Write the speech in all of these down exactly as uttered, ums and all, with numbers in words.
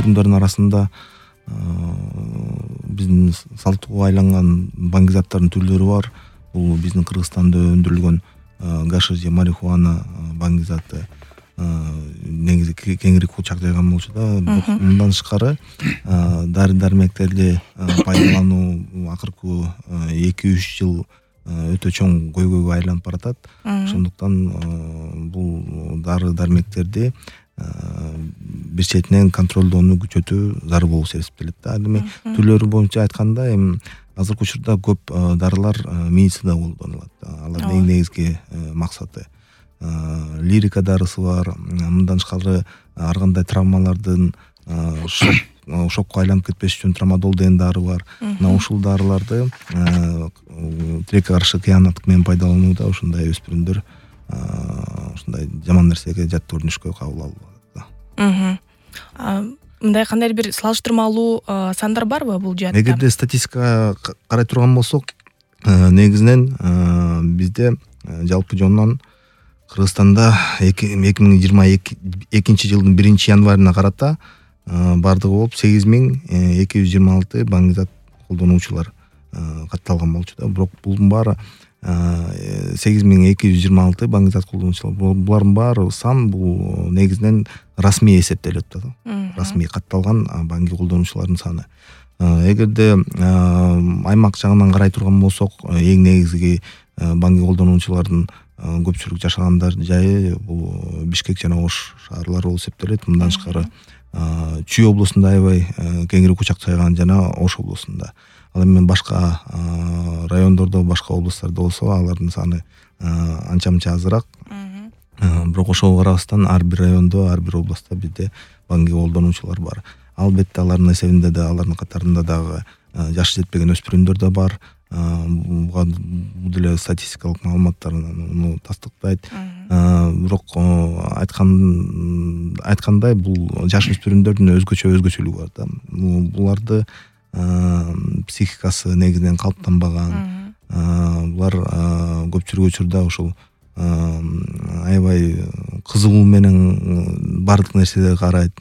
өнүрүмдөрдүн арасында биздин салттууга айланган баңгизаттардын түрлөрү бар. Бул биздин Кыргызстанда өндүрүлгөн гашиш же марихуана баңгизаты негизи кеңири кулчак жайган болчу да. Мындан тышкары дары дармектерди пайдалануу акыркы эки үч жыл өтө чоң көйгөйгө айланып баратат. Ошондуктан бул дары дармектерди бир четинен контролдоону күчөтүү зарыл болуп эсептелет да. Эми түрлөрү боюнча айтканда, эми азыркы учурда көп дарылар медицинада колдонулат. Алардын эң негизги максаты лирика дарысы бар. Мындан тышкары ар кандай травмалардын шок шокко айланып кетпеш үчүн трамадол деген дары бар. Мына ушул дарыларды тилекке каршы кыянаттык менен пайдаланууда ушундай өспүрүмдөр ушундай жаман нерсеге жат көрүнүшкө кабыл алып. Мындай кандайдыр бир салыштырмалуу сандар барбы бул жаатта? Эгерде статистикага карай турган болсок, негизинен бизде жалпы жонунан Кыргызстанда эки миң жыйырма экинчи жылдын биринчи январына карата бардыгы болуп сегиз миң эки жүз жыйырма алты баңгизат колдонуучулар катталган болчу да. Бирок булдун баары сегиз миң эки жүз жыйырма алты баңгизат колдонуучулар. Булардын баары сан бул негизинен расмий эсептелет да. Расмий катталган баңги колдонуучулардын саны. Эгерде аймак жагынан карай турган болсок, эң негизги баңги колдонуучулардын көпчүлүк жашагандар жайы бул Бишкек жана Ош шаарлары болуп эсептелет. Мындан тышкары Чүй облусунда аябай кеңири кучак жайган жана Ош облусунда. Ал эми башка райондордо, башка областтарда болсо, алардын саны анча-мынча азыраак. Бирок ошого карабастан ар бир райондо, ар бир областта бизде баңги колдонуучулар бар. Албетте алардын эсебинде да, алардын катарында дагы жашы жетпеген өспүрүмдөр да бар. Буга бул деле статистикалык маалыматтар муну тастыктайт. Бирок айткан айткандай бул жаш өспүрүмдөрдүн өзгөчө өзгөчөлүгү бар да. Буларды психикасы негизинен калыптанбаган. Булар көпчүлүк учурда ушул аябай кызыгуу менен бардык нерселерге карайт.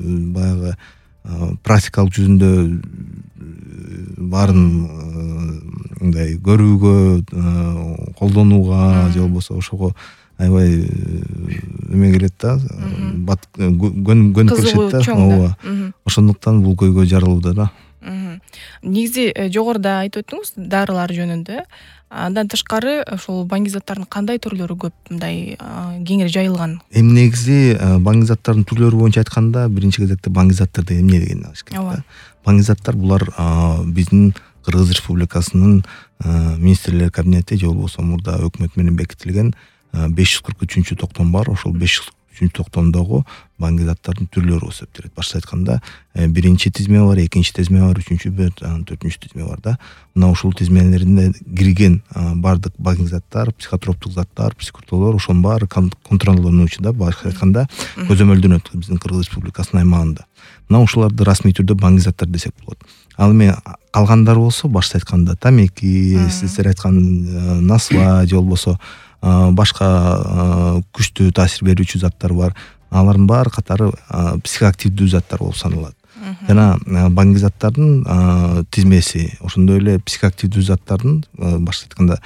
Баягы практикалык жүзүндө баарын мындай көрүүгө, колдонууга же болбосо ошого аябай эме келет да, көнүп келишет да. Ооба. Ошондуктан бул көйгөй жаралууда да. Негизи жогоруда айтып өттүңүз дарылар жөнүндө. Андан тышкары ошол баңгизаттардын кандай түрлөрү көп, мындай кеңири жайылган? Эми негизи баңгизаттардын түрлөрү боюнча айтканда, биринчи кезекте баңгизаттар деген эмне дегенди алыш керек да. Баңгизаттар булар биздин Кыргыз Республикасынын министрлер кабинети же болбосо мурда өкмөт менен бекитилген беш жүз кырк үчүнчү токтом бар. Ошол беш жүз кырк үчүнчү токтомдогу баңгизаттардын түрлөрү болуп эсептелет. Башкача айтканда, биринчи тизме бар, экинчи тизме бар, үчүнчү бар, төртүнчү тизме бар да. Мына ушул тизмелеринде кирген бардык баңгизаттар, психотроптук заттар, психотолор, ошонун баары контролдонуучу да. Башкача айтканда, көзөмөлдөнөт биздин Кыргыз Республикасынын аймагында. Мына ушуларды расмий түрдө баңгизаттар десек болот. Ал эми калгандары болсо, башкача айтканда тамеки, сиздер айткан насва же болбосо башка күчтүү таасир берүүчү заттар бар. Алардын баары катары психоактивдүү заттар болуп саналат. Жана баңгизаттардын тизмеси, ошондой эле психоактивдүү заттардын, башкача айтканда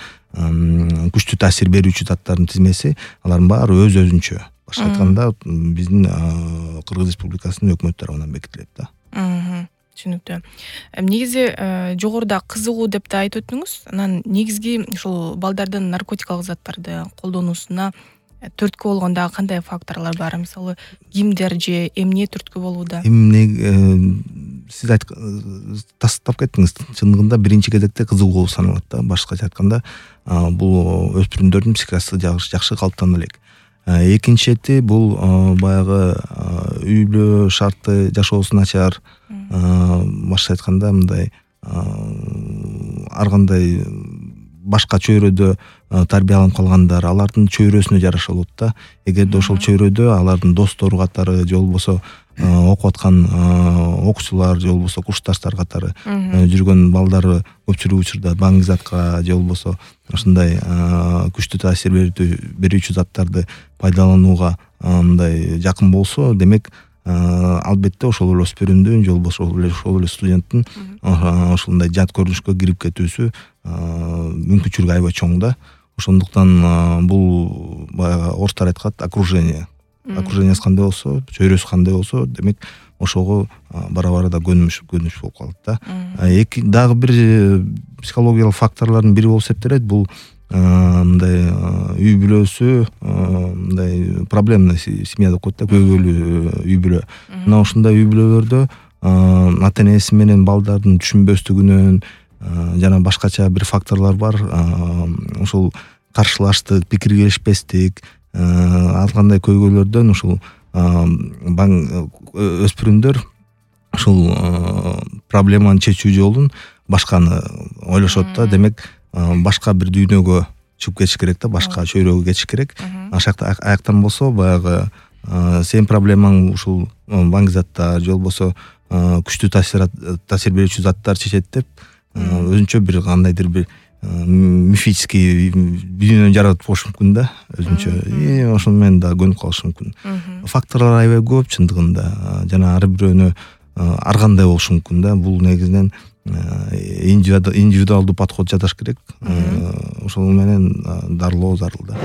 күчтүү таасир берүүчү заттардын тизмеси, алардын баары өз-өзүнчө. Башкача айтканда, биздин Кыргыз Республикасынын өкмөт тарабынан бекитилет да. Түшүнүктүү. Негизи жогоруда кызыгуу деп да айтып өттүңүз. Анан негизги ушул балдардын наркотикалык заттарды колдонуусуна түрткү болгондо кандай факторлор бар? Мисалы, кимдер же эмне түрткү болууда? Эмне сиз тастап кеттиңиз. Чындыгында биринчи кезекте кызыгуу болуп саналат да. Башкача айтканда, бул өспүрүмдөрдүн психикасы жакшы калыптана элек. Экинчи чети бул баягы үйлүү шартты жашоосу начар. Башкача айтканда, мындай ар кандай башка чөйрөдө тарбияланып калгандар, алардын чөйрөсүнө жараша болот да. Эгерде ошол чөйрөдө алардын достору катары же болбосо окуп аткан окуучулар же болбосо курсташтар катары жүргөн балдары көпчүлүк учурда баңгизатка же болбосо ушундай күчтүү таасир берүүчү заттарды пайдаланууга мындай жакын болсо, демек албетте ошол эле өспүрүмдүн же болбосо ошол эле студенттин ошондой жат көрүнүшкө кирип кетүүсү мүмкүнчүлүгү аябай чоң да. Ошондуктан бул баягы орустар айткат окружение. Окружениеси кандай болсо, чөйрөсү кандай болсо, демек ошого бара-бара да көнүш көнүш болуп калат да. Эки дагы бир психологиялык факторлордун бири болуп эсептелет. Бул мындай үй бүлөсү, мындай проблемный семья деп коет да, көйгөйлүү үй бүлө. Мына ушундай үй бүлөлөрдө ата энеси менен балдардын түшүнбөстүгүнөн жана башкача бир факторлор бар. Ошол каршылаштык, пикир келишпестик, ар кандай көйгөйлөрдөн ушул өспүрүмдөр ушул проблеманы чечүү жолун башканы ойлошот да. Демек башка бир дүйнөгө чыгып кетиш керек да, башка чөйрөгө кетиш керек. Ашакта аяктан болсо баягы сенин проблемаң ушул баңги заттар же болбосо күчтүү таасир берүүчү заттар чечет деп өзүнчө бир кандайдыр бир мифический дүйнөнү жаратып коюш мүмкүн да, өзүнчө. И ошону менен да көнүп калышы мүмкүн. Факторлор аябай көп чындыгында, жана ар бирөөнө ар кандай болушу мүмкүн да. Бул негизинен индивидуалдуу подход жасаш керек. Ошол менен дарылоо зарыл да.